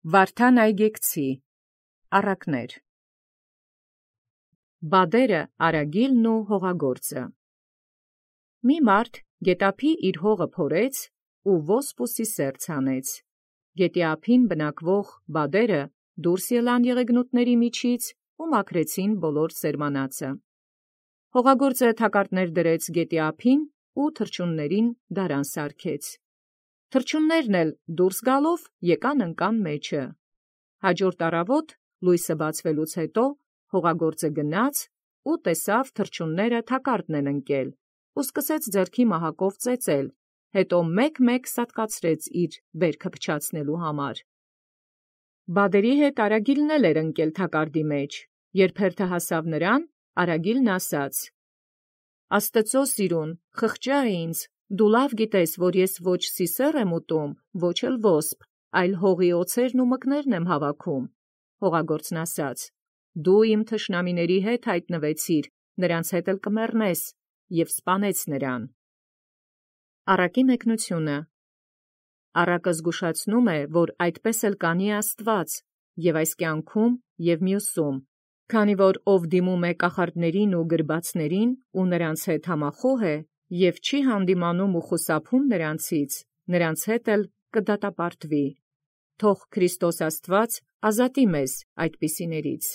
Վարդան Այգեկցի առակներ։ Բադերը Արագիլն ու հողագործը։ Մի մարդ գետափի իր հողը փորեց ու ոսպ ու սիսեռ ցանեց։ Գետի ափին բնակվող բադերը դուրս ելան եղեգնուտների միջից ու մաքրեցին բոլոր սերմանածը։ Հողագործը թակարդներ դրեց գետի ափին ու թռչուններին դարան սարքեց։ Թռչուններն էլ դուրս գալով եկան ընկան մեջը։ Հաջորդ առավոտ լույսը բացվելուց հետո հողագործը գնաց ու տեսավ թռչունները թակարդն են ընկել ու սկսեց ձեռքի մահակով ծեծել, հետո մեկ սատկացրեց իր բերքը փչացնելու համար։ Բադերի հետ Արագիլն էլ էր ընկել թակարդի մեջ, երբ հերթը հասավ նրան, Արագիլն ասաց. «Աստծո սիրուն, խղճա ինձ, դու լավ գիտես, որ ես ոչ սիսեռ եմ ուտում, ոչ էլ ոսպ, այլ հողի օձերն ու մկներն եմ հավաքում»։ Հողագործն ասաց. «Դու իմ թշնամիների հետ հայտնվեցիր, նրանց հետ էլ կմեռնես, և սպանեց նրան»։ Առակի մեկնությունը։ Առակը զգուշացնում է, որ այդպես էլ կանի Աստված, և այս կյանքում և մյուսում, քանի որ ով դիմում է կախարդներին ու գրբացներին ու նրանց հետ համախոհ է, և չի հանդիմանում ու խուսափում նրանցից, նրանց հետ էլ կդատապարտվի։ Թող Քրիստոս Աստված ազատի մեզ այդպիսիներից։